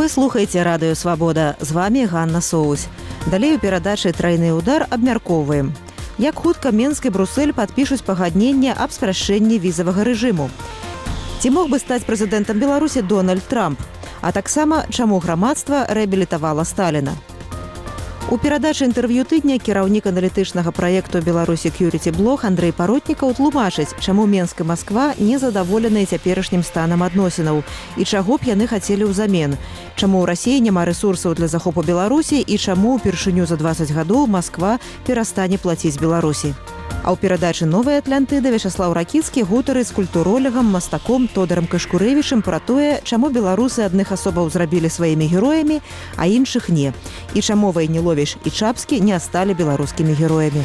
Вы слухаеце радыё «Свабода». З вами Ганна Соусь. Далей у перадачы «Трайны ўдар» абмяркоўваем. Як хутка Мінск і Брусэль падпішуць пагадненне аб спрашчэнні візавага рэжыму. Ці мог бы стаць прэзідэнтам Беларусі Дональд Трамп? А таксама, чаму грамадства рэабілітавала Сталіна? У перадачы інтэрв'ю тыдня кіраўнік аналітычнага праекту «Беларусь Security Blog» Андрэй Паротнікаў тлумачыць, чаму Мінск і Масква не задаволеныя цяперашнім станам адносінаў і чаго б яны хацелі ўзамен, чаму ў Расіі няма рэсурсаў для захопу Беларусі і чаму ўпершыню за 20 гадоў Масква перастане плаціць Беларусі. А ў перадачы «Новая Атлантыда» Вячаслаў Ракіцкі гутарыць з культуролегам, мастаком Тодорам Кашкурэвічым пра тое, чаму беларусы адных асобаў зрабілі сваімі героямі, а іншых не. І чаму Вайніловіч і Чапскі не сталі беларускімі героямі.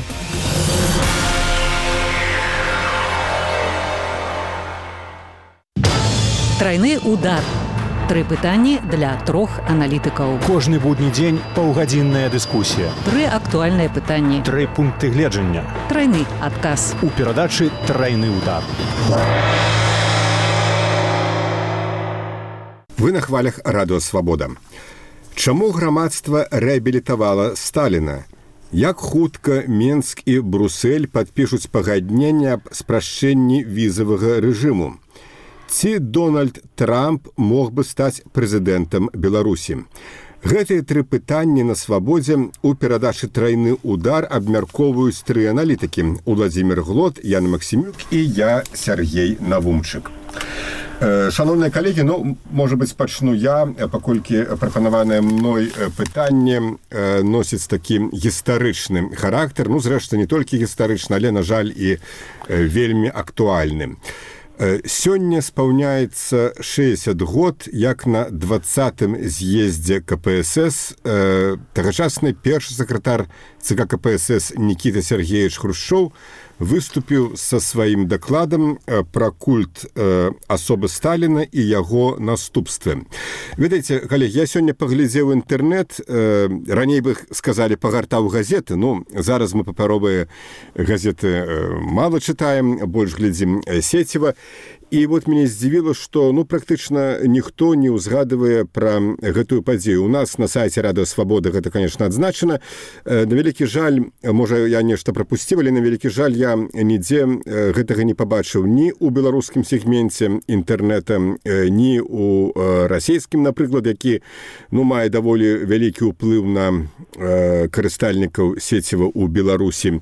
Трайны удар. 3 пытанні для 3 аналітыкаў. Кожны будні дзень паўгадзінная дыскусія. 3 актуальныя пытанні. 3 пункты гледжання. Трайны адказ. У перадачы «Трайны удар». Вы на хвалях радыё «Свабода». Чаму грамадства рэабілітавала Сталіна? Як хутка Мінск і Брусэль падпішуць пагадненне аб спрашчэнні візавага рэжыму? Ці Дональд Трамп мог бы стаць прэзідэнтам Беларусі? Гэтыя 3 пытанні на «Свабодзе» у перадачы «Трайны удар» абмяркоўваюць 3 аналітыкі: Уладзімір Глот, Ян Максімюк і я, Сергей Навумчык. Шановныя калегі, можа быць, пачну я, паколькі прапанаванае мной пытанне носіць такі гістарычны характар. Зрэшты, не толькі гістарычны, але, на жаль, і вельмі актуальны. Сёння спаўняецца 60 год, як на 20-м з'ездзе КПСС тагачасны першы сакратар ЦК КПСС Нікіта Сергеевич Хрушчоў выступіў са сваім дакладам пра культ асобы Сталіна і яго наступствы. Ведаеце, калегі, я сёння паглядзеў інтэрнэт, раней бы сказалі пагартаў газеты, зараз мы папяровыя газеты мала чытаем, больш глядзім сеціва. І мяне здзівіла, што практычна ніхто не ўзгадывае пра гэтую падзею. У нас на сайце радыё «Свабода» гэта, конечно, адзначана. На вялікі жаль, можа, я нешта прапусціў, але на вялікі жаль, я нідзе гэтага не пабачыў ні ў беларускім сегменце інтэрнэта, ні ў расійскім, напрыклад, які мае даволі вялікі ўплыў на карыстальнікаў сеціва ў Беларусі.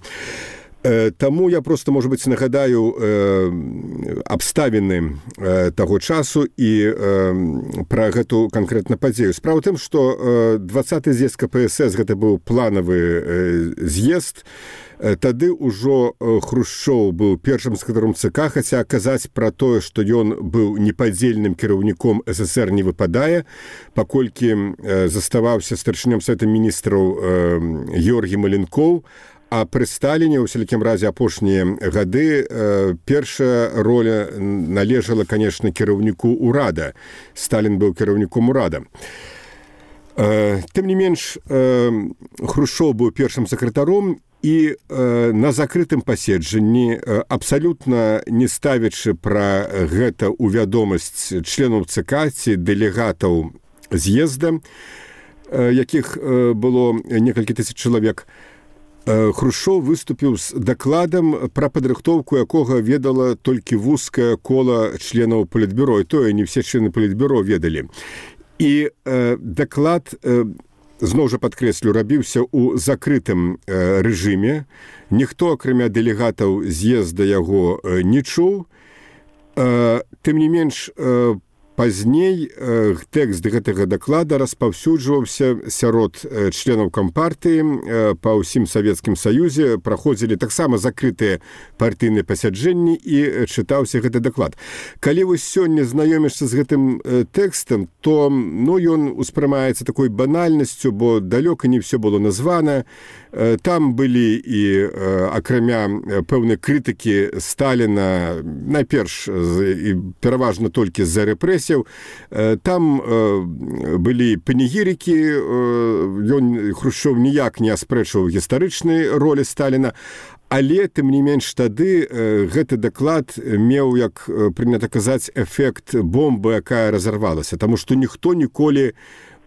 Таму я просто, можа быць, нагадаю абставіны таго часу і пра гэту канкрэтна падзею. Справа ў тым, што 20-й з'езд КПСС гэта быў планавы з'езд. Тады ўжо Хрушчоў быў першым сакратаром ЦК, хаця казаць пра тое, што ён быў непадзельным кіраўніком СССР не выпадае, паколькі заставаўся старшынём Савета міністраў Георгій Маленкоў. А пры Сталіне, у сялякім разе апошнія гады, першая роля належала, конечно, кіраўніку ўрада. Сталін быў кіраўніком ўрада. Тым не менш, Хрушчоў быў першым сакратаром і на закрытым паседжанні, абсалютна не ставячы пра гэта ў вядомасць членаў ЦК ці дэлегатаў з'езда, якіх было некалькі тысяч чалавек, Хрушчоў выступіў з дакладам, пра падрыхтоўку якога ведала толькі вузкае кола членаў палітбюро, і тое не ўсе члены палітбюро ведалі. І даклад, зноў жа падкрэслю, рабіўся ў закрытым рэжыме. Ніхто, акрамя дэлегатаў з'езда, яго не чуў. Тым не менш, пазней тэкст гэтага даклада распаўсюджваўся сярод членаў кампартыі па ўсім Савецкім Саюзе, праходзілі таксама закрытыя партыйныя пасяджэнні і чытаўся гэты даклад. Калі вы сёння знаёмішся з гэтым тэкстам, то ён успрымаецца такой банальнасцю, бо далёка не ўсё было названа. Там былі і, акрамя пэўнай крытыкі Сталіна, найперш і пераважна толькі з-за рэпрэсій, там былі панегірыкі, Хрушчоў ніяк не аспрэчваў гістарычнай ролі Сталіна, Але тым не менш тады гэты даклад меў, як прынята казаць, эфект бомбы, якая разарвалася, таму што ніхто ніколі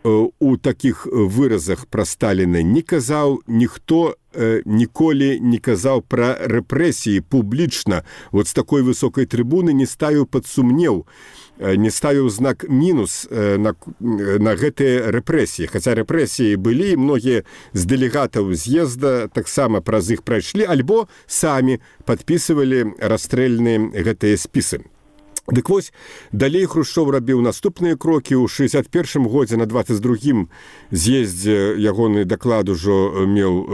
у такіх выразах пра Сталіна не казаў, ніхто ніколі не казаў пра рэпрэсіі публічна, вот з такой высокай трыбуны не ставіў пад сумнеў, не ставіў знак мінус на гэтыя рэпрэсіі. Хаця рэпрэсіі былі, многія з дэлегатаў з'езда таксама праз іх прайшлі, альбо самі падпісывалі расстрэльныя гэтыя спісы. Дык вось, далей Хрушчоў рабіў наступныя крокі. У 61-м годзе на 22-м з'ездзе ягоны даклад ужо меў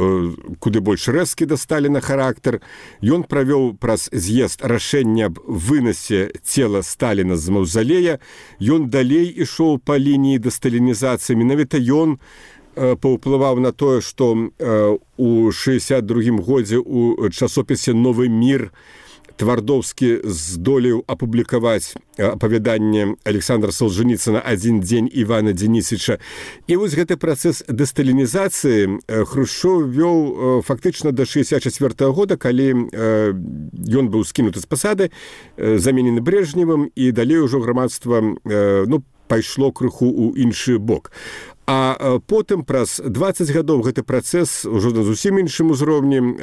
куды больш рэзкі да Сталіна характар. Ён правёў праз з'езд рашэнне аб вынасе цела Сталіна з маўзалея. Ён далей ішоў па лініі дасталінізацыі. Менавіта ён паўплываў на тое, што у 62-м годзе у часопісе «Новы мір» Твардовскі здолеў апублікаваць апавяданне Александра Солженіцына «Адзін дзень Івана Дзенісыча». І вось гэты працэс дэсталінізацыі Хрушчоў вёў фактычна да 64-го года, калі ён быў скінуты з пасады, заменены Брежневым, і далей ужо грамадства пайшло крыху ў іншы бок. А потым праз 20 гадоў гэты працэс ужо на зусім іншым узроўні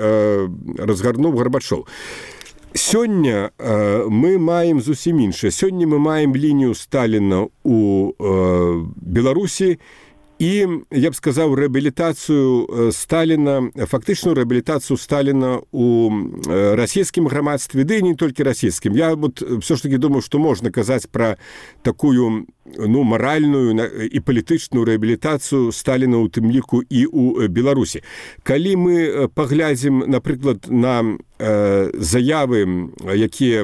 разгарнуў Гарбачоў. Сёння мы маем зусім іншае. Сёння мы маем лінію Сталіна ў Беларусі і, я б сказаў, рэабілітацыю Сталіна, фактычную рэабілітацыю Сталіна ў расійскім грамадстве, ды і не толькі расійскім. Я все ж таки думаю, што можна казаць пра такую маральную і палітычную рэабілітацыю Сталіна ў тым ліку і ў Беларусі. Калі мы паглядзім, напрыклад, на заявы, якія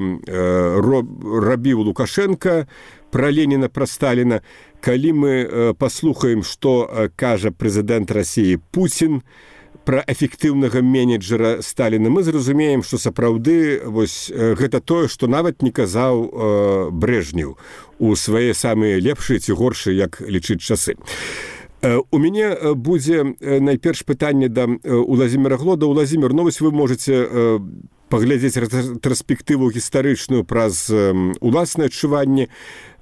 рабіў Лукашенко пра Леніна, пра Сталіна, калі мы паслухаем, што кажа прэзідэнт Расіі Пуцін пра эфектыўнага менеджера Сталіна, мы зразумеем, што сапраўды вось гэта тое, што нават не казаў Брежнеў у свае самыя лепшыя ці горшыя, як лічыць часы. У мяне будзе найперш пытанне да Уладзіміра Глода. Уладзімір, вось вы можаце паглядзець рэтраспектыву гістарычную праз уласнае адчуванне.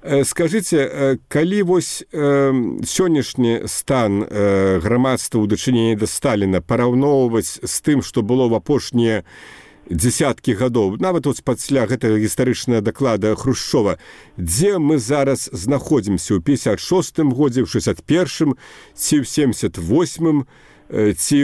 Скажыце, калі вось сённяшні стан грамадства ў дачыненні да Сталіна параўноўваць з тым, што было ў апошнія дзесяткі гадоў, нават пасля гэтага гістарычнага даклада Хрушчова, дзе мы зараз знаходзімся ў 56-м годзе, ў 61-м, ці ў 78-м, ці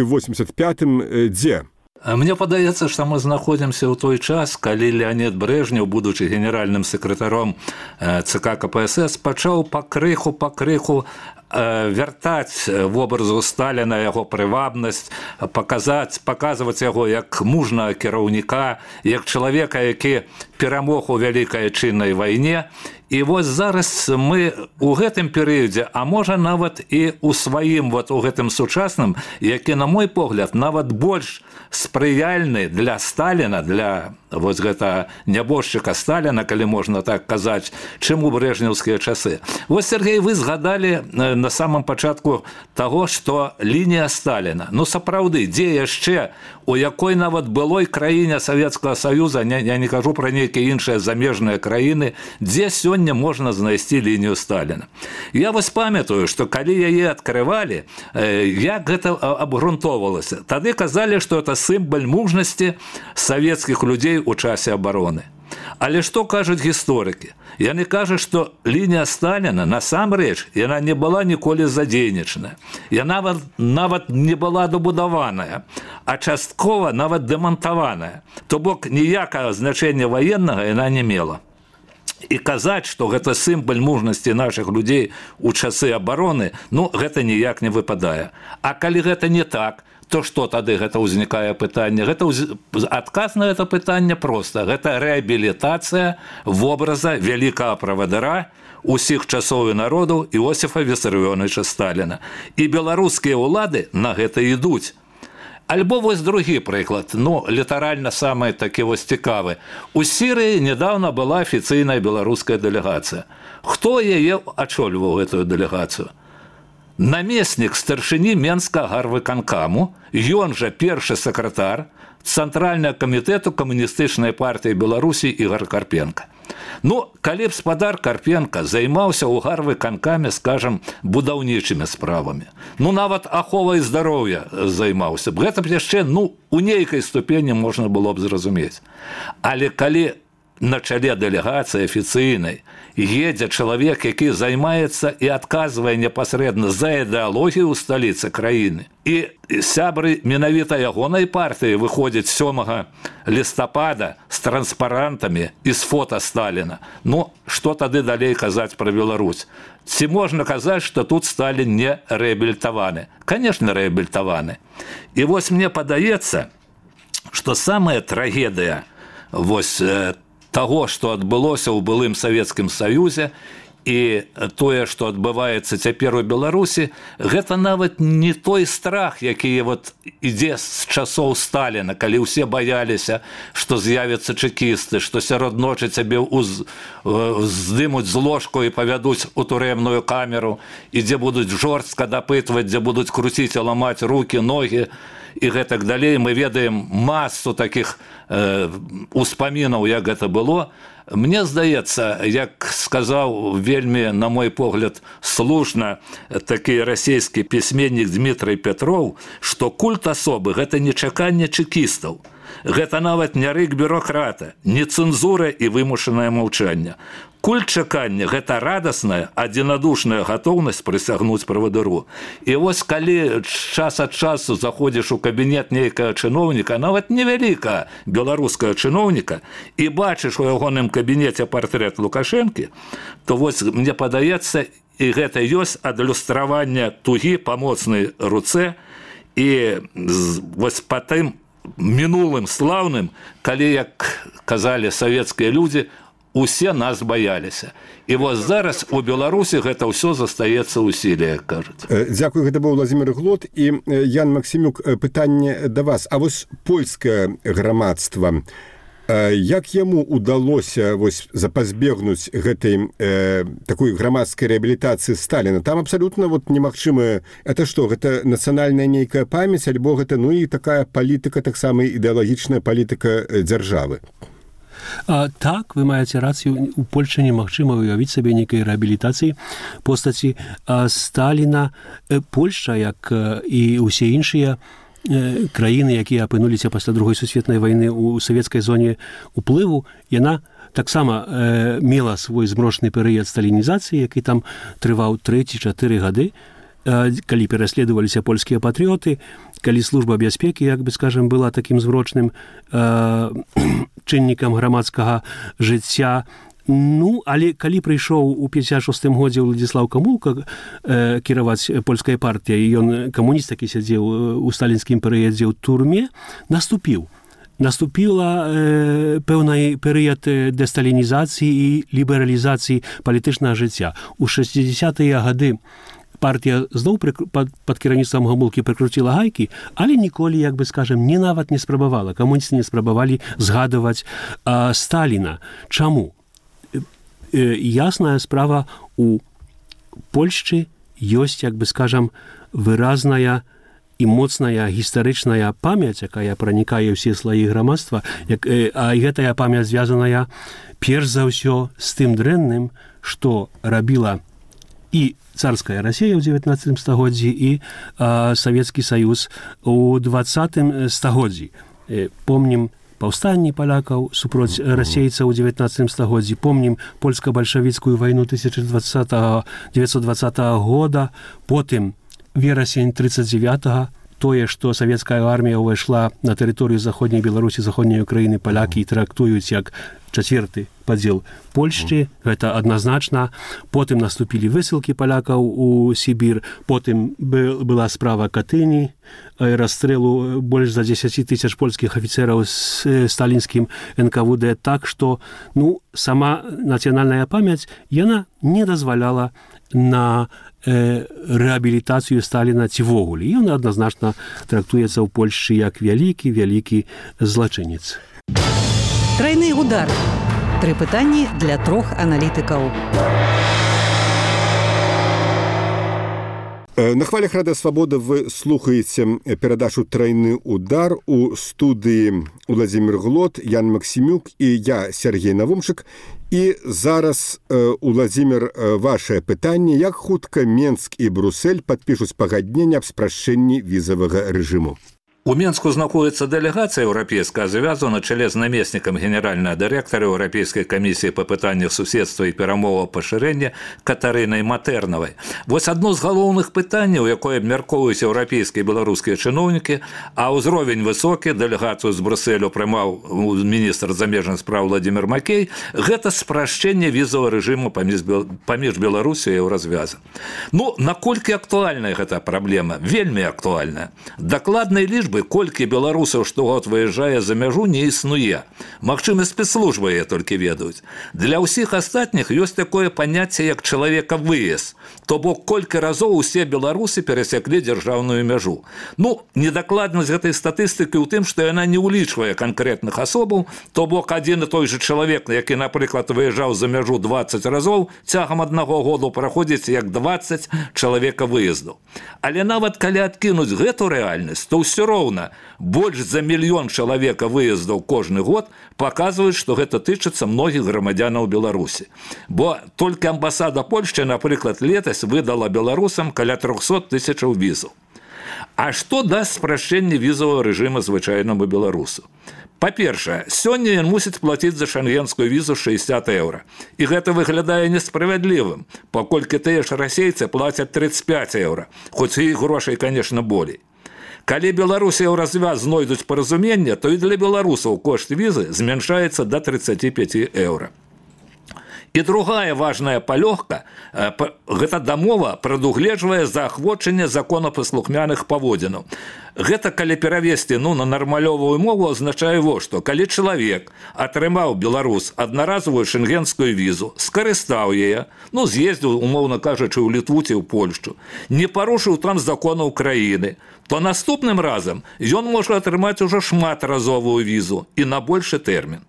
ў 85-м, дзе? Мне падаецца, што мы знаходзімся ў той час, калі Леонід Брежнеў, будучы генеральным сакратаром ЦК КПСС, пачаў пакрыху вяртаць вобразу Сталіна яго прывабнасць, паказваць яго як мужнага кіраўніка, як чалавека, які перамог у Вялікай Адчыннай вайне. І вось зараз мы ў гэтым перыядзе, а можа нават і ў сваім, у гэтым сучасным, які, на мой погляд, нават больш спрыяльны для Сталіна, для вось гэта нябожчыка Сталіна, калі можна так казаць, чым у брежнеўскія часы. Вось, Сергей, вы згадалі на самом пачатку таго, што лінія Сталіна. Сапраўды, дзе яшчэ, у якой нават былой краіне Савецкага Саюза, я не кажу пра нейкія іншыя замежныя краіны, дзе сёння можна знайсці лінію Сталіна. Я вось памятаю, што калі яе адкрывалі, як гэта абгрунтоўвалася. Тады казалі, што это сімвал мужнасці савецкіх людзей у часе абароны. Але што кажуць гісторыкі? Яны кажуць, што лінія Сталіна, насамрэч, яна не была ніколі задзейнічаная. Яна нават не была добудаваная, а часткова нават дэмантаваная. То бок ніякага значэння ваеннага яна не мела. І казаць, што гэта сімвал мужнасці нашых людзей у часы абароны, гэта ніяк не выпадае. А калі гэта не так, то што тады гэта ўзнікае пытанне? Адказ на гэта пытанне проста. Гэта рэабілітацыя вобраза вялікага правадыра усіх часоў і народаў Іосіфа Вісарыёновіча Сталіна. І беларускія ўлады на гэта ідуць. Альбо вось другі прыклад, літаральна самы такі вось цікавы. У Сірыі нядаўна была афіцыйная беларуская дэлегацыя. Хто яе ачольваў гэтую дэлегацыю? намеснік старшыні Менскага гарвыканкаму, ён жа першы сакратар Цэнтральнага камітэту камуністычнай партыі Беларусі Ігор Карпенка. Ну, калі б спадар Карпенка займаўся ў гарвыканкаме, скажам, будаўнічымі справамі, ну, нават аховай здароўя займаўся б, гэта б яшчэ, ну, у нейкай ступені можна было б зразумець. Але калі на чале дэлегацыі афіцыйнай едзе чалавек, які займаецца і адказвае непасрэдна за ідэалогію ў сталіцы краіны, і сябры менавіта ягонай партыі выходзяць 7 лістапада з транспарантамі і з фота Сталіна, ну, што тады далей казаць пра Беларусь? Ці можна казаць, што тут Сталін не рэабілітаваны? Канешне, рэабілітаваны. І вось мне падаецца, што самая трагедыя вось таго, што адбылося ў былым Савецкім Саюзе і тое, што адбываецца цяпер у Беларусі, гэта нават не той страх, які вот ідзе з часоў Сталіна, калі ўсе баяліся, што з'явяцца чэкісты, што сярод ночы цябе здымуць з ложку і павядуць у турэмную камеру, і дзе будуць жорстка дапытваць, дзе будуць круціць і ламаць рукі, ногі, і гэтак далей. Мы ведаем масу такіх успамінаў, як гэта было. Мне здаецца, як сказаў вельмі, на мой погляд, слушна такі расійскі пісьменнік Дмітрый Петров, што культ асобы – гэта не чаканне чэкістаў. Гэта нават не рык бюрократа, не цэнзура і вымушанае маўчанне. Культ чакання – гэта радасная, адзінадушная гатоўнасць прысягнуць правадыру. І вось калі час ад часу заходзіш у кабінет нейкага чыноўніка, нават невялікага беларускага чыноўніка, і бачыш у ягоным кабінеце партрэт Лукашэнкі, то вось мне падаецца, і гэта ёсць адлюстраванне тугі па моцнай руцэ, і вось па тым мінулым слаўным, калі, як казалі савецкія людзі, усе нас баяліся. І вось зараз у Беларусі гэта ўсё застаецца ў сіле, як кажуць. Дзякую, гэта быў Владзімір Глот. І Ян Максімюк, пытанне да вас. А вось польскае грамадства, як яму удалося вось запазбегнуць гэтай такой грамадскай рэабілітацыі Сталіна? Там абсалютна вот немагчыма. Это што, гэта нацыянальная нейкая памяць, альбо гэта, ну, і такая палітыка, таксама ідэалагічная палітыка дзяржавы? Так, вы маеце рацыю, у Польшчы немагчыма уявіць сабе нейкай рэабілітацыі постаці Сталіна. Польшча, як і ўсе іншыя краіны, якія апынуліся пасля Другой сусветнай вайны ў савецкай зоне уплыву, яна таксама мела свой змрочны перыяд сталінізацыі, які там трываў 3-4 гады, калі пераследаваліся польскія патрыёты, калі служба бяспекі, як бы, скажем, была такім змрочным чыннікам грамадскага жыцця. Ну, але калі прыйшоў у 56-м годзе Владзіслаў Камулка кіраваць польскай партыяй, і ён камуніст, які сядзеў у сталінскім перыядзе ў турме, наступіла пэўны перыяд дэсталінізацыі і лібералізацыі палітычнага жыцця. У 60-е гады партія зноў пад кіраўніцтвам Гамулкі прыкруціла гайкі, але ніколі, як бы, скажем, нават не спрабавала. Камуністы не спрабавалі згадваць Сталіна. Чаму? Ясная справа, у Польшчы ёсць, як бы, скажем, выразная і моцная гістарычная памяць, якая пранікае ўсе слаі грамадства, а гэтая памяць звязаная перш за ўсё з тым дрэнным, што рабіла і царская Расія ў 19 стагоддзі, і Савецкі Саюз у 20 стагоддзі. Помнім паўстанні палякаў супроць расейцаў у 19 стагоддзі, помнім польска-бальшавіцкую вайну 1920 года, потым верасень 39-го, тое, што савецкая армія ўвайшла на тэрыторыю заходняй Беларусі, заходняй Украіны, палякі трактуюць як чацвёрты падзел Польшчы, гэта адназначна. Потым наступілі высылкі палякаў у Сібір, потым была справа Катыні, расстрэлу больш за 10 000 польскіх афіцэраў з сталінскім НКВД. Так што, ну, сама нацыянальная памяць, яна не дазваляла на рэабілітацыю Сталіна ці вогуле. Ён адназначна трактуецца ў Польшчы як вялікі злачынец. Трайны удар. 3 пытанні для 3 аналітыкаў. На хвалях Радыё Свабода вы слухаеце перадачу «Трайны удар» у студыі Уладзімір Глот, Ян Максімюк і я, Сергей Навумчык. І зараз, Уладзімір, вашае пытанне: як хутка Менск і Брусэль падпішуць пагадненне аб спрашчэнні візавага рэжыму? У Менску знаходится делегация европейская, завязана на чоле з намеснікам генерального директора Европейской комиссии по пытаннях суседства и перамоваў пашырэння Катарынай Матерновой. Вось одно з галоўных пытанняў, якое абмяркоўваюць еўрапейскія і беларускія чыноўнікі, а ўзровень высокі, делегацию з Брусэлю прымаў міністр замежных спраў Владимир Макей, гэта спрашчэнне візавага рэжыму паміж Беларусю і Еўразвязам. Ну, наколькі актуальная гэта праблема? Вельмі актуальная. Дакладнай лічбы, колькі беларусаў штогод выязджае за мяжу, не існуе. Магчыма, спецслужбы яе толькі ведаюць. Для ўсіх астатніх ёсць такое паняцце, як чалавека-выезд. То бок, колькі разоў усе беларусы перасяклі дзяржаўную мяжу. Ну, недакладнасць гэтай статыстыкі ў тым, што яна не ўлічвае канкрэтных асобаў, то бок, адзін і той же чалавек, які, напрыклад, выязджаў за мяжу 20 разоў, цягам аднаго году праходзіць як 20 чалавека-выездаў. Але нават калі адкінуць гэту рэальнасць, то ўсё роўна больш за 1 мільён чалавека выездаў кожны год паказваюць, што гэта тычыцца многіх грамадзянаў Беларусі. Бо толькі амбасада Польшчы, напрыклад, летась выдала беларусам каля 300 000 візаў. А што дасць спрашчэнне візавага рэжыма звычайнаму беларусу? Па-першае, сёння ён мусіць плаціць за шенгенскую візу 60 €. І гэта выглядае несправядлівым, паколькі тыя ж расейцы плацяць 35 €, хоць і грошай, конечно, болей. Калі Беларусь і Еўразвяз знойдуць паразуменне, то і для беларусаў кошт візы змяншаецца да 35 €. І другая важная палёгка, гэта дамова прадугледжвае заахвочанне законапаслухмяных паводзінаў. Гэта, калі перавесці на нармалёвую мову, азначае во што: калі чалавек атрымаў, беларус, аднаразовую шенгенскую візу, скарыстаў яе, з'ездзіў, умоўна кажучы, у Літву ці ў Польшчу, не парушыў там законаў краіны, то наступным разам ён можа атрымаць ужо шматразовую візу і на большы тэрмін.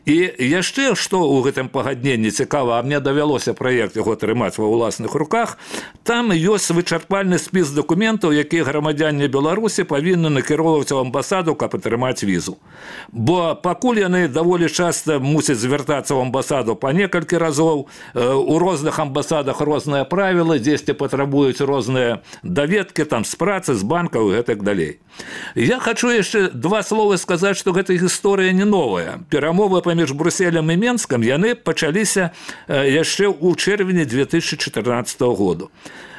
І яшчэ, што ў гэтым пагадненні цікава, а мне давялося праект яго атрымаць ва ўласных руках, там ёсць вычарпальны спіс дакументаў, якія грамадзяне Беларусі павінны накіроўваць у амбасаду, каб атрымаць візу. Бо пакуль яны даволі часта мусяць звяртацца ў амбасаду па некалькі разоў, у розных амбасадах розныя правілы, дзесьці патрабуюць розныя даведкі там з працы, з банкаў і гэтак далей. Я хочу яшчэ 2 словы сказаць, што гэта гісторыя не новая. Перамовы паміж Брусселем і Менскам яны пачаліся яшчэ ў чэрвені 2014 году.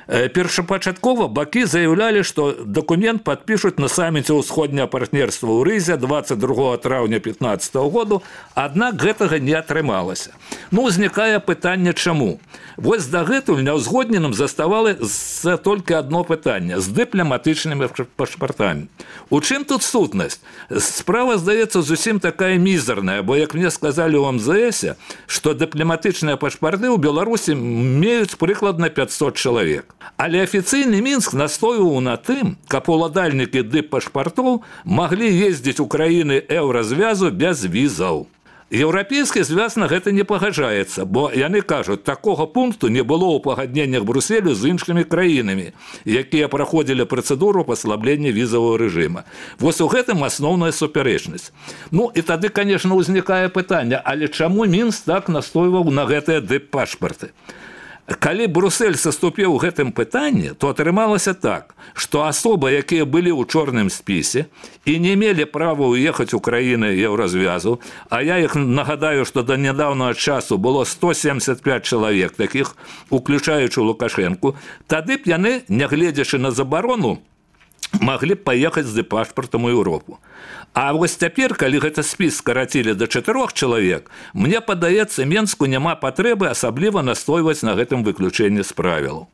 Першапачаткова бакі заявлялі, што дакумент падпішуць на саміце ўсходняга партнерства ў Рызе 22 траўня 2015 году, аднак гэтага не атрымалася. Узнікае пытанне, чаму? Вось дагэтуль няўзгодненым заставалася толькі адно пытанне з дыпламатычнымі пашпартамі. У чым тут сутнасць? Справа, здаецца, зусім такая мізерная, бо, як мне сказалі ў МЗС, што дыпламатычныя пашпарты ў Беларусі меюць прыкладна 500 чалавек. Але афіцыйны Мінск настойваў на тым, каб уладальнікі дыппашпартоў маглі ездзіць у краіны Еўразвязу без візаў. Еўрапейскі звяз на гэта не пагаджаецца, бо яны кажуць, такога пункту не было ў пагадненнях Брусселю з іншымі краінамі, якія праходзілі працэдуру паслаблення візавага рэжыма. Вось у гэтым асноўная супярэчнасць. І тады, конечно, узнікае пытанне, але чаму Мінск так настойваў на гэтыя дыппашпарты? Калі Бруссель саступіў у гэтым пытанні, то атрымалася так, што асобы, якія былі ў чорным спісе і не мелі права ўехаць у краіны Еўразвязу, а я іх нагадаю, што да нядаўнага часу было 175 чалавек такіх, уключаючы Лукашэнку, тады б яны, нягледзячы на забарону, маглі б паехаць з дыпашпартам у Еўропу. А вось цяпер, калі гэты спіс скарацілі да 4 чалавек, мне падаецца, Менску няма патрэбы асабліва настойваць на гэтым выключэнні з правілаў.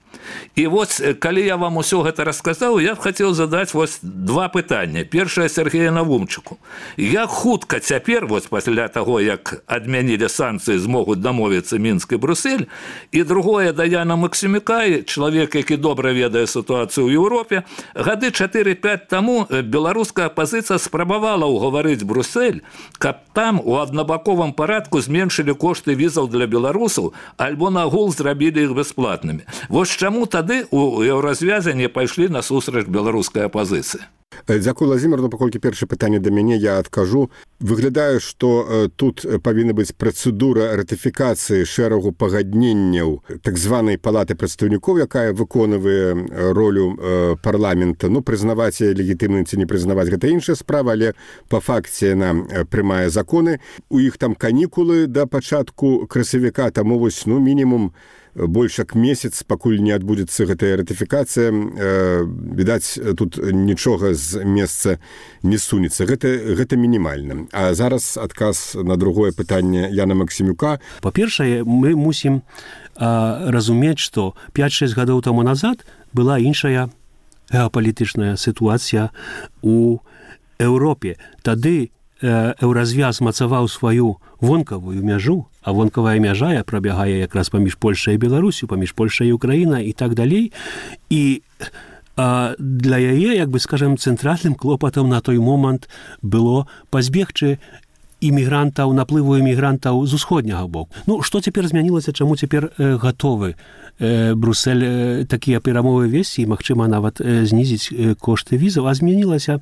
І вось, калі я вам усё гэта расказаў, я б хацеў задаць вось 2 пытання. Першае Сергею Навумчыку. Як хутка цяпер, вось пасля таго, як адмянілі санкцыі, змогуць дамовіцца Мінск і Бруссель, і другое да Яна Максімюка, чалавек, які добра ведае сітуацыю ў Еўропе, гады 4-5 таму беларуская апазіцыя спрабавала ўгаварыць Бруссель, каб там у аднабаковым парадку зменшылі кошты візаў для беларусаў, альбо нагул зрабілі іх бясплатнымі. Вось чаму тады у еўразвязе не пайшлі насустрач беларускай апазіцыі? Дзякую, Владзімир. Ну, паколькі першае пытанне да мяне, я адкажу. Выглядае, што тут павінна быць працэдура ратыфікацыі шэрагу пагадненняў так званай палаты прадстаўнікоў, якая выконвае ролю парламента. Ну, прызнаваць яе легітымным ці не прызнаваць, гэта іншая справа, але па факце яна прымае законы. У іх там канікулы да пачатку красавіка, таму вось, ну, мінімум больш як месяц, пакуль не адбудзецца гэтая ратыфікацыя, відаць, тут нічога з месца не сунецца. Гэта мінімальна. А зараз адказ на другое пытанне Яна Максімюка. Па-першае, мы мусім разумець, што 5-6 гадоў таму назад была іншая геапалітычная сітуацыя у Еўропе. Тады еўразвяз мацаваў сваю вонкавую мяжу, а вонкавая мяжа прабягае якраз паміж Польшай і Беларусю, паміж Польшай і Украінай і так далей. І для яе, як бы скажем, цэнтральным клопатам на той момант было пазбегчы імігрантаў, наплыву імігрантаў з усходняга боку. Ну, што цяпер змянілася, чаму цяпер гатовы Бруссель такія перамовы весці і, магчыма, нават знізіць кошты візаў, а змянілася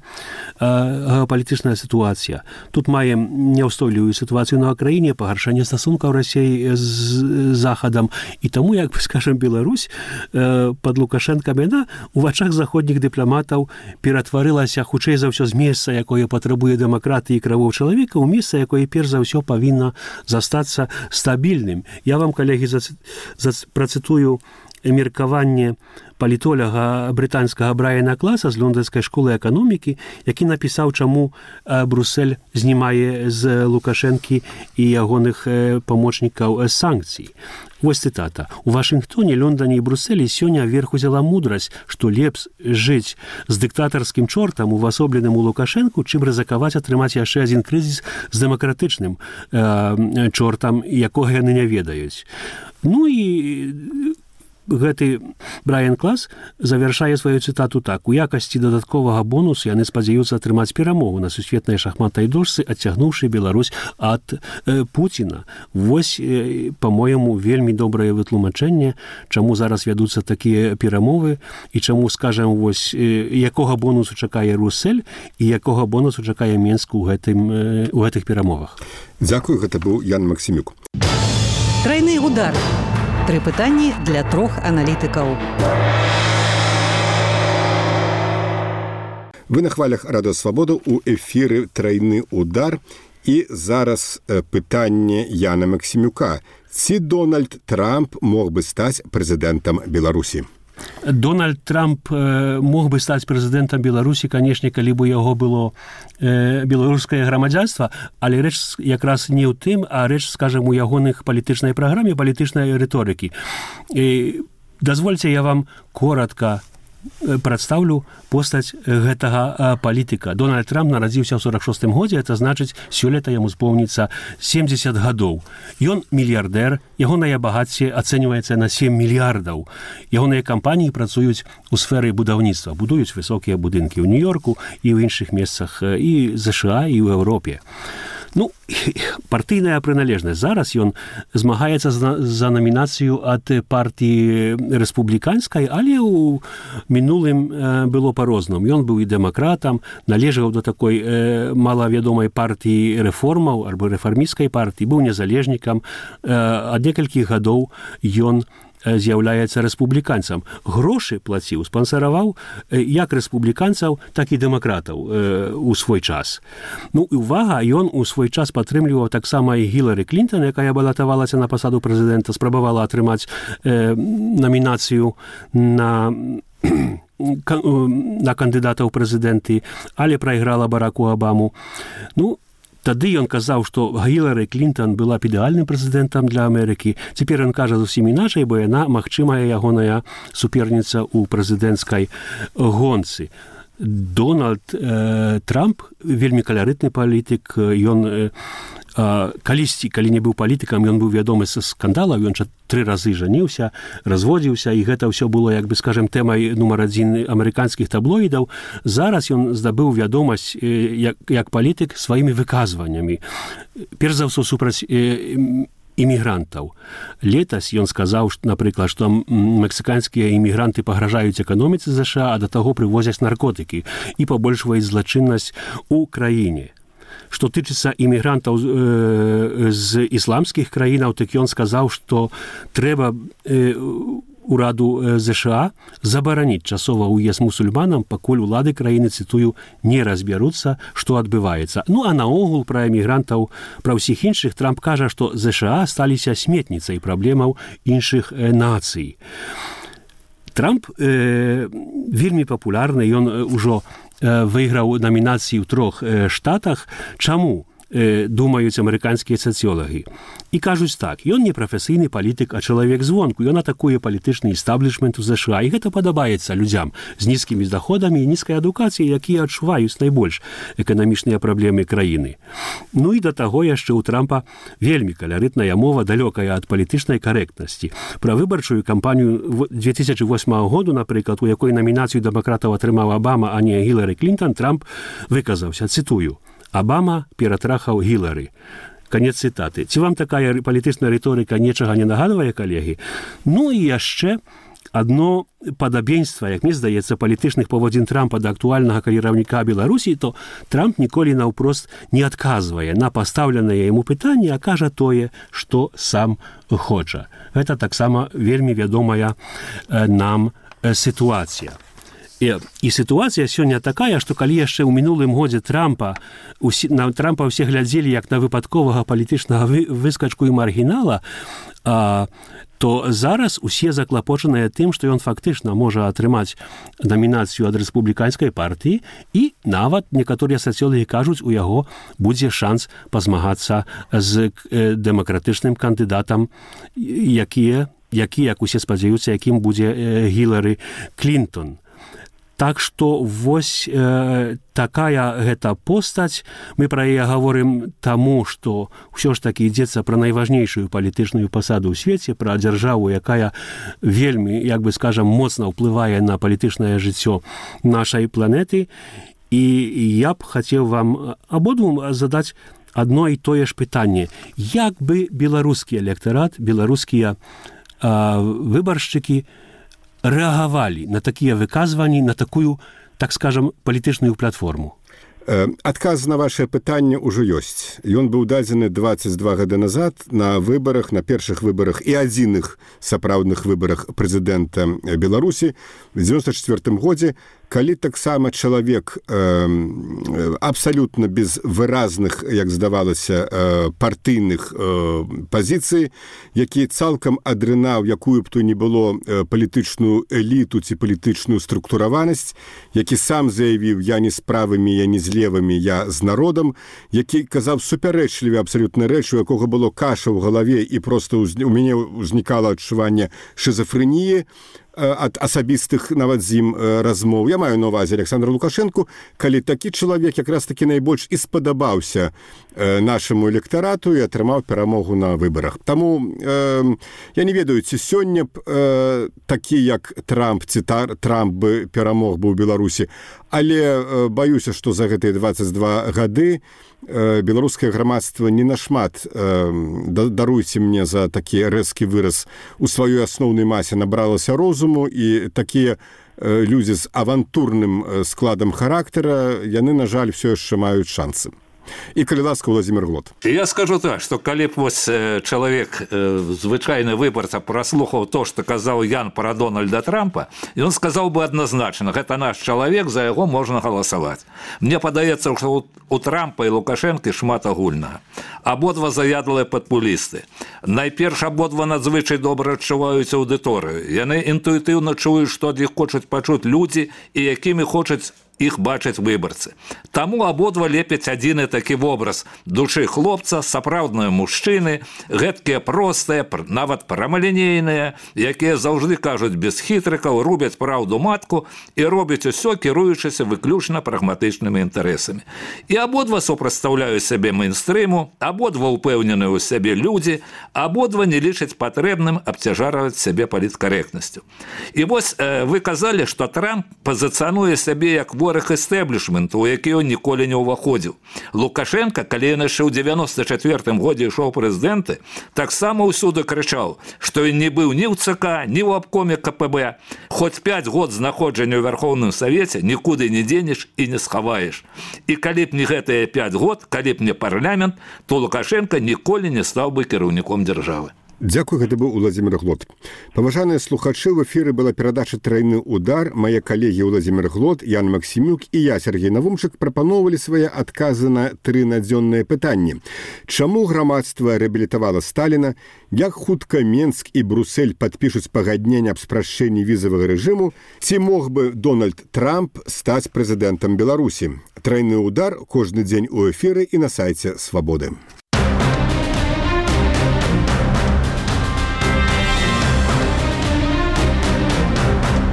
геапалітычная сітуацыя. Тут маем няўстойлівую сітуацыю на краіне, пагаршэнне стасункаў Расіі з Захадам, і таму, як бы, скажем, Беларусь пад Лукашэнкам яна у вачах заходніх дыпламатаў ператварылася, хутчэй за ўсё, з месца, якое патрабуе дэмакратыі і правоў чалавека, у месца, якое перш за ўсё павінна застацца стабільным. Я вам, калегі, працытую меркаванне палітоляга брытанскага Брайана Класа з лондонскай школы эканомікі, які напісаў, чаму Бруссель знімае з Лукашэнкі і ягоных памочнікаў санкцый. Вось цытата. У Вашынгтоне, Лондоне і Брусселі сёння верх узяла мудрасць, што лепш жыць з дыктатарскім чортам, увасобленым у Лукашэнку, чым рызыкаваць атрымаць яшчэ адзін крызіс з дэмакратычным чортам, якога яны не ведаюць. Ну і гэты Брайан Клас завяршае сваю цытату так. У якасці дадатковага бонусу яны спадзяюцца атрымаць перамогу на сусветнай шахматнай дошцы, адцягнуўшы Беларусь ад Пуціна. Вось, па-моему, вельмі добрае вытлумачэнне, чаму зараз вядуцца такія перамовы і чаму, скажем, вось, якога бонусу чакае Бруссель і якога бонусу чакае Менск у гэтых перамовах. Дзякую, гэта быў Ян Максімюк. Трайны удар. 3 пытанні для 3 аналітыкаў. Вы на хвалях Радыё Свабода, у эфіры «Трайны удар». І зараз пытанне Яна Максімюка. Ці Дональд Трамп мог бы стаць прэзідэнтам Беларусі? Дональд Трамп мог бы стаць прэзідэнтам Беларусі, канешне, калі бы яго было беларускае грамадзянства, але рэч якраз не ў тым, а рэч, скажем, у ягоных палітычнай праграме, палітычнай рыторыкі. Дазвольце, я вам коротка прадстаўлю постаць гэтага палітыка. Дональд Трамп нарадзіўся ў 46-м годзе, это значыць, сёлета яму споўніцца 70 гадоў. Ён мільярдэр, ягонае багацце ацэньваецца на 7 мільярдаў. Ягоныя кампаніі працуюць у сферы будаўніцтва, будуюць высокія будынкі ў Нью-Йорку і ў іншых месцах і США, і ў Еўропе. Ну, партыйная прыналежнасць. Зараз ён змагаецца за намінацыю ад партыі рэспубліканскай, але ў мінулым было па-рознаму. Ён быў і дэмакратам, належаў да такой малавядомай партыі рэформаў альбо рэфармісцкай партыі, быў незалежнікам. Ад некалькіх гадоў ён з'яўляецца рэспубліканцам. Грошы плаціў, спансараваў як рэспубліканцаў, так і дэмакратаў у свой час. Ну, і увага, ён у свой час падтрымліваў таксама і Гілары Клінтон, якая балатавалася на пасаду прэзідэнта, спрабавала атрымаць намінацыю на кандыдата ў прэзідэнты, але прайграла Бараку Абаму. Ну, тады ён казаў, што Гілары Клінтон была б ідэальным прэзідэнтам для Амерыкі. Цяпер ён кажа зусім іначай, бо яна магчымая ягоная суперніца ў прэзідэнцкай гонцы. Дональд Трамп вельмі каларытны палітык. Ён калісьці, калі не быў палітыкам, ён быў вядомы са скандалаў, ён 3 разы жаніўся, разводзіўся, і гэта ўсё было, як бы, скажем, тэмай нумар 1 амерыканскіх таблоідаў. Зараз ён здабыў вядомасць як палітык сваімі выказваннямі. Перш за ўсё супраць імігрантаў. Летась ён сказаў, напрыклад, што мексіканскія імігранты пагражаюць эканоміцы ЗША, а да таго прывозяць наркотыкі і пабольшваюць злачыннасць у краіне. Што тычыцца імігрантаў з ісламскіх краінаў, так ён сказаў, што трэба ураду ЗША забараніць часова ўезд мусульманам, пакуль улады краіны, цытую, не разбяруцца, што адбываецца. Ну, а наогул пра эмігрантаў, пра ўсіх іншых Трамп кажа, што ЗША сталіся сметніцай праблемаў іншых нацый. Трамп вельмі папулярны, ён ужо выйграў намінацыі ў 3 штатах. Чаму? Думаюць амерыканскія сацыёлагі. І кажуць так, ён не прафесійны палітык, а чалавек звонку. Ён атакуе палітычны эстаблішмент у ЗША, і гэта падабаецца людзям з нізкімі доходамі і нізкай адукацыяй, якія адчуваюць найбольш эканамічныя праблемы краіны. Ну і да таго яшчэ ў Трампа вельмі каларытная мова, далёкая ад палітычнай карэктнасці. Пра выбарчую кампанію 2008 году, напрыклад, у якой намінацыю дэмакратаў атрымаў Абама, а не Гілары Клінтон, Трамп выказаўся, цытую: «Абама ператрахаў Гілары». Канец цытаты. Ці вам такая палітычная рыторыка нечага не нагадвае, калегі? Ну і яшчэ адно падабенства, як мне здаецца, палітычных паводзін Трампа да актуальнага кіраўніка Беларусі, то Трамп ніколі наўпрост не адказвае на пастаўленае яму пытанне, а кажа тое, што сам хоча. Гэта таксама вельмі вядомая нам сітуацыя. І сітуацыя сёння такая, што калі яшчэ ў мінулым годзе на Трампа ўсе глядзелі як на выпадковага палітычнага выскачку і маргінала, то зараз усе заклапочаныя тым, што ён фактычна можа атрымаць намінацыю ад рэспубліканскай партыі, і нават некаторыя сацыёлагі кажуць, у яго будзе шанс пазмагацца з дэмакратычным кандыдатам, які, як усе спадзяюцца, якім будзе Гілары Клінтон. Так што вось такая гэта постаць. Мы пра яе гаворым таму, што ўсё ж такі ідзецца пра найважнейшую палітычную пасаду ў свеце, пра дзяржаву, якая вельмі, як бы скажам, моцна ўплывае на палітычнае жыццё нашай планеты. І я б хацеў вам абодвум задаць адно і тое ж пытанне. Як бы беларускі электарат, беларускія выбаршчыкі рэагавалі на такія выказванні, на такую, так скажам, палітычную платформу? Адказ на ваше пытанне ўжо ёсць. Ён быў дадзены 22 гады назад на выбарах, на першых выбарах і адзіных сапраўдных выбарах прэзідэнта Беларусі в 94 годзе, калі таксама чалавек абсалютна без выразных, як здавалася, партыйных пазіцый, які цалкам адрынаў якую б то не было палітычную эліту ці палітычную структураванасць, які сам заявіў: я не з правымі, я не з левымі, я з народам, які казаў супярэчлівы абсалютна рэч, у якога было каша ў галаве, і проста у мяне ўзнікала адчуванне шизофрэніі ад асабістых нават з ім размоў. Я маю на ўвазе Александра Лукашэнку, калі такі чалавек якраз такі найбольш і спадабаўся нашаму электарату і атрымаў перамогу на выбарах. Таму я не ведаю, ці сёння б такі як Трамп, ці Трамп бы перамог бы ў Беларусі, але баюся, што за гэтыя 22 гады беларускае грамадства не нашмат, даруйце мне за такі рэзкі выраз, у сваёй асноўнай масе набралася розуму, і такія людзі з авантурным складам характара, яны, на жаль, все яшчэ маюць шансы. І, калі ласка, Владимир Глот. Я скажу так, што калі б вось чалавек, звычайны выбарца, праслухаў то, што казаў Ян пра Дональда Трампа, ён сказаў бы адназначна: гэта наш чалавек, за яго можна галасаваць. Мне падаецца, што у Трампа і Лукашэнкі шмат агульнага. Абодва заядлыя папулісты. Найперш, абодва надзвычай добра адчуваюць аўдыторыю. Яны інтуітыўна чуюць, што ад іх хочуць пачуць людзі і якімі хочуць іх бачаць выбарцы. Таму абодва лепяць адзіны такі вобраз душы хлопца, сапраўдныя мужчыны, гэткія простыя, нават прамалінейныя, якія заўжды кажуць без хітрыкаў, рубяць праўду матку і робяць усё, кіруючыся выключна прагматычнымі інтарэсамі. І абодва супрацьстаўляюць сябе мейнстрыму, абодва ўпэўненыя ў сябе людзі, абодва не лічаць патрэбным абцяжарваць сябе паліткарэктнасцю. І вось вы казалі, што Трамп пазіцыянуе сябе як пераговорах эстэблішменту, у які ён ніколі не ўваходзіў. Лукашенко, калі ён яшчэ ў 94-м годзе ішоў прэзідэнты, таксама ўсюды крычаў, што ён не быў ні ў ЦК, ні ў абкоме КПБ. Хоць 5 год знаходжання ў Верховным Савеце нікуды не дзенеш і не схаваеш. І калі б не гэтыя 5 год, калі б не парламент, то Лукашенко ніколі не стаў бы кіраўніком дзяржавы. Дзякуй, гэта быў Уладзімір Глот. Паважаныя слухачы, в эфіры была перадача «Трайны удар». Мае калегі Уладзімір Глот, Ян Максімюк і я, Сергей Навумчык, прапаноўвалі свае адказы на 3 надзённыя пытанні. Чаму грамадства рэабілітавала Сталіна? Як хутка Менск і Брусэль падпішуць пагадненне аб спрашчэнні візавага рэжыму? Ці мог бы Дональд Трамп стаць прэзідэнтам Беларусі? «Трайны удар» кожны дзень у эфіры і на сайце «Свабоды».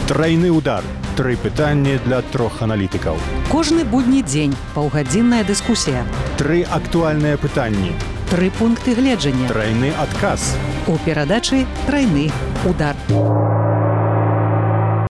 Трайны удар. 3 пытанні для 3 аналітыкаў. Кожны будні дзень паўгадзінная дыскусія. 3 актуальныя пытанні. 3 пункты гледжання. Трайны адказ. У перадачы «Трайны удар».